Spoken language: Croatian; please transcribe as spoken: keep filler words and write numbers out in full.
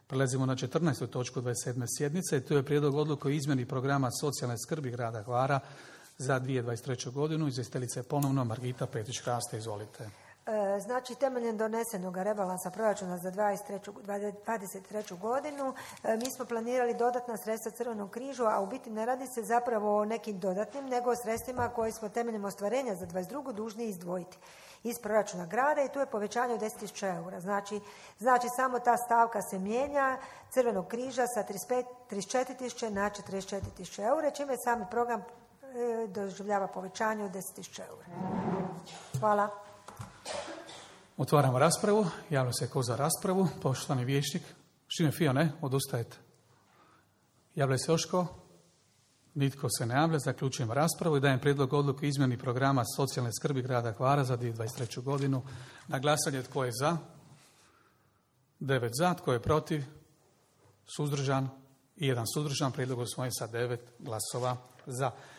Prelazimo na četrnaestu točku dvadeset sedme sjednice. To je prijedlog odluke o izmjeni programa socijalne skrbi grada Hvara za dvije tisuće dvadeset treću godinu. Izvjestiteljica je ponovno Margita Petrić-Hraste. Izvolite. Znači, temeljem donesenog rebalansa proračuna za dvadeset treću godinu mi smo planirali dodatna sredstva Crvenog križu, a u biti ne radi se zapravo o nekim dodatnim, nego o sredstvima koje smo temeljem ostvarenja za dvadeset drugu dužni izdvojiti iz proračuna grada i tu je povećanje od deset tisuća eura. Znači, znači, samo ta stavka se mijenja Crvenog križa sa trideset četiri tisuće na četrdeset četiri tisuće eura, čime sami program e, doživljava povećanje od deset tisuća eura. Hvala. Otvaramo raspravu. Javlja se ko za raspravu. Poštovani vijećnik. Šime Fio, ne? Odustajete. Javlja se još ko? Nitko se ne javlja. Zaključujemo raspravu i dajem prijedlog odluke o izmjeni programa socijalne skrbi grada Hvara za dvije tisuće dvadeset treću godinu. Na glasanje tko je za? Devet za. Tko je protiv? Suzdržan? I jedan suzdržan. Prijedlog usvojen sa devet glasova za.